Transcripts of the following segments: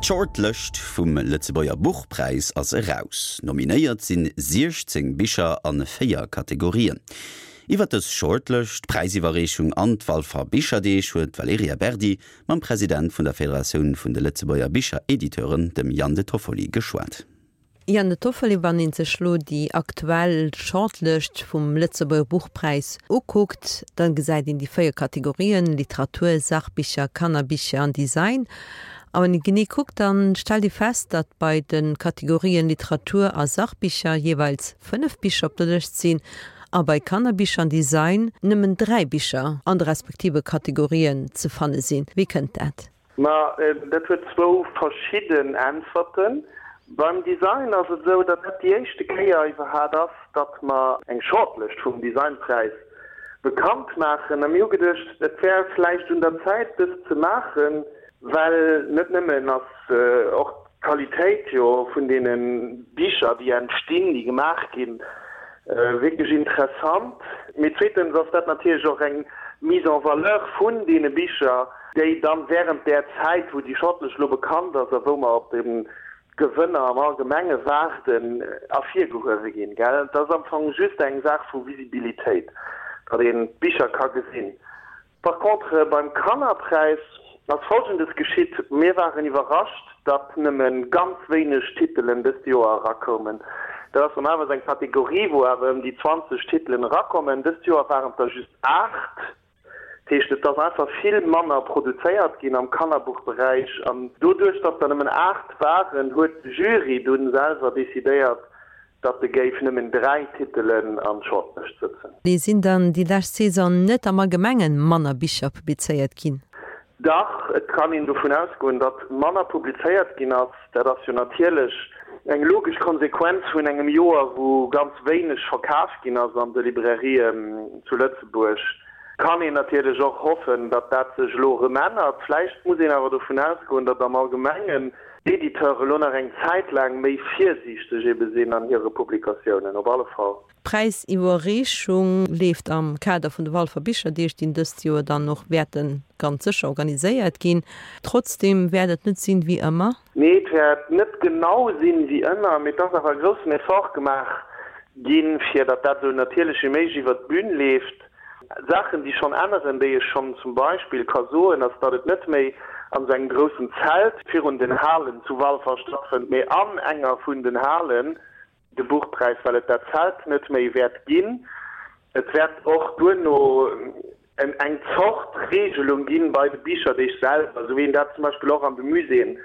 D'Shortlëscht vum Lëtzebuerger Buchpräis ass eraus. Nominéiert sinn 16 Bicher a 4 Kategorien. Iwwer dës Shortlëscht, d'Präisiwwerreechung an d'Walfer Bicherdeeg huet d'Valerija Berdi mam President vun der Federatioun vun de Lëtzebuerger Bicherediteuren, dem Yann De Toffoli, geschwat. Yann De Toffoli, Wann ee sech lo déi aktuell Shortlëscht vum Lëtzebuerger Buchpräis ukuckt, da gesäit een déi 4 Kategorien, Literatur, Sachbicher, Kannerbicher an Design. A wann ee genee kuckt, da stellt ee fest, datt bei de Kategorien Literatur a Sachbicher jeeweils 5 Bicher op der Lëscht sinn a bei Kannerbicher an Design nëmmen 3 Bicher an de respektive Kategorien ze fanne sinn. Wéi kënnt dat? Ma dat huet zwou verschidden Äntwerten. Beim Design ass et esou, datt dat déi éischte Kéier iwwerhat ass, datt mer eng Shortlëscht vum Designpräis bekannt maachen. A mir hu geduecht, et wär vläicht un der Zäit, dëst ze maachen, well net nëmmen ass och d'Qualitéit jo vun deene Bicher, déi entstinn, déi gemaach ginn, wierklech interessant, mee zweetens ass dat natierlech och eng Mise en valeur vun deene Bicher, déi dann während där Zäit, wou déi Shortlist elo bekannt ass a wou mer op de Gewënner am Allgemenge waarden, ervirgehuewe ginn. Gell? Et ass am Fong just eng Saach vu Visibilitéit, datt een d'Bicher ka gesinn. Par contre, beim Kannerpräis ass Folgendes geschitt, Mir waren iwwerrascht, datt nëmme ganz wéineg Titelen dëst Joer erakoumen. Dat ass normalerweis eng Kategorie, wou awer ëm déi 20 Titelen erakommen. Dëst Joer waren et der just 8. Dat heescht, et ass einfach vill manner produzéiert ginn am Kannerbuchberäich. An doduerch, datt der nëmmen 8 waren, huet de Jury dunn selwer decidéiert, datt e géif nëmmen 3 Titelen an d'Shortlëscht sëtzen. Sinn dann déi lescht Saison net am Allgemengen manner Bicher publizéiert ginn? Dach, et kann een dovun ausgoen, datt manner publizéiert ginn ass. Dat ass jo natierlech eng logesch Konsequenz vun engem Joer, wou ganz wéineg verkaf ginn ass an de Librairien zu Lëtzebuerg. Kann een natierlech och hoffen, datt dat sech elo erëm ännert. Vläicht muss een awer dovun ausgoen, datt am Allgemengen d'Editeure elo nach eng Zäit laang méi virsiichteg ebe sinn an hire Publikatiounen. Op alle Fall. D'Präisiwwerreechung leeft am Kader vun de Walfer Bicherdeeg, déi dëst Joer dann och wäerte ganz sécher organiséiert ginn. Trotzdeem wäert et net sinn wéi ëmmer. Nee, et wäert net genau sinn wéi ëmmer, mee et ass awer e groussen Effort gemaach ginn, fir datt dat esou natierlech wéi méiglech iwwert d'Bün leeft. Saachen, déi schonn änneren, déi ech schonn zum Beispill ka soen, ass, datt et net méi an esou engem groussen Zelt virun den Halen zu Walfer stattfënnt, mee an enger vun den Halen. De Buchpräis, well et dat Zelt net méi wäert ginn. Et wäert och duerno eng Zort Regelung ginn bei de Bicherdeeg selwer, esou wéi een dat zum Beispill och an de Muséeën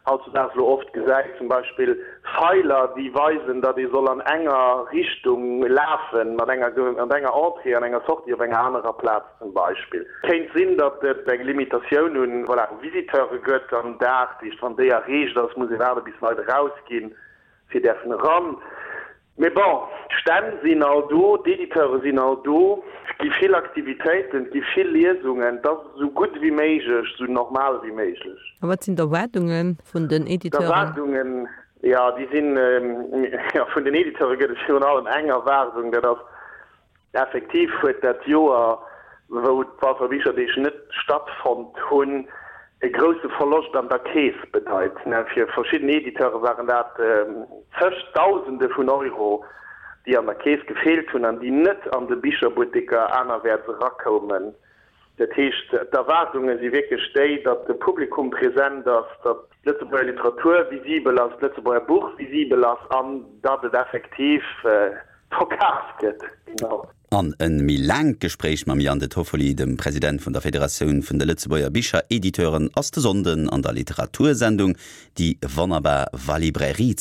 hautzudaags elo oft gesäit, zum Beispill Feiler, déi weisen, datt ee soll an enger Richtung lafen, mat enger mat enger Entrée an enger Sortie op enger anerer Plaz zum Beispill. Kéint sinn, datt et eng Limitatioun un, voilà, u Visiteure gëtt am Dag, dat heescht, wann déi erreecht ass, muss ee waarde bis Leit erausginn. fir däerfen eran. Mee bon, d'Stänn sinn all do, d'Editeure sinn all do, et gi vill Aktivitéiten, et gi vill Liesungen, et ass esou gutt ewéi méiglech, esou normal ewéi méiglech. A wat sinn d'Erwaardunge vun den Editeuren? D'Erwaardungen, jo, déi sinn, jo, vun den Editeure gëtt et virun allem eng Erwaardung, dat ass, Effektiv huet dat Joer, wou d'Walfer Bicherdeeg net stattfonnt hunn, e grousse Verloscht an der Keess bedeit. Fir verschidden Editeure waren dat zeg Dausende vun Euro, déi an der Keess gefeelt hunn an déi net an de Bicherbutteker anerwäerts erakoumen. Dat heescht, d'Erwaardunge si wierklech déi, datt de Publikum present ass, datt d'Lëtzebuerger Literatur visibel ass, d'Lëtzebuerger Buch visibel ass an datt et effektiv verkaf gëtt. Genau. An e méi laangt Gespréich mam Yann De Toffoli, dem President vun der Federatioun vun de Lëtzebuerger Bicherediteuren, ass de Sonnden an der Literatursendung Déi wonnerbar Valibrairie.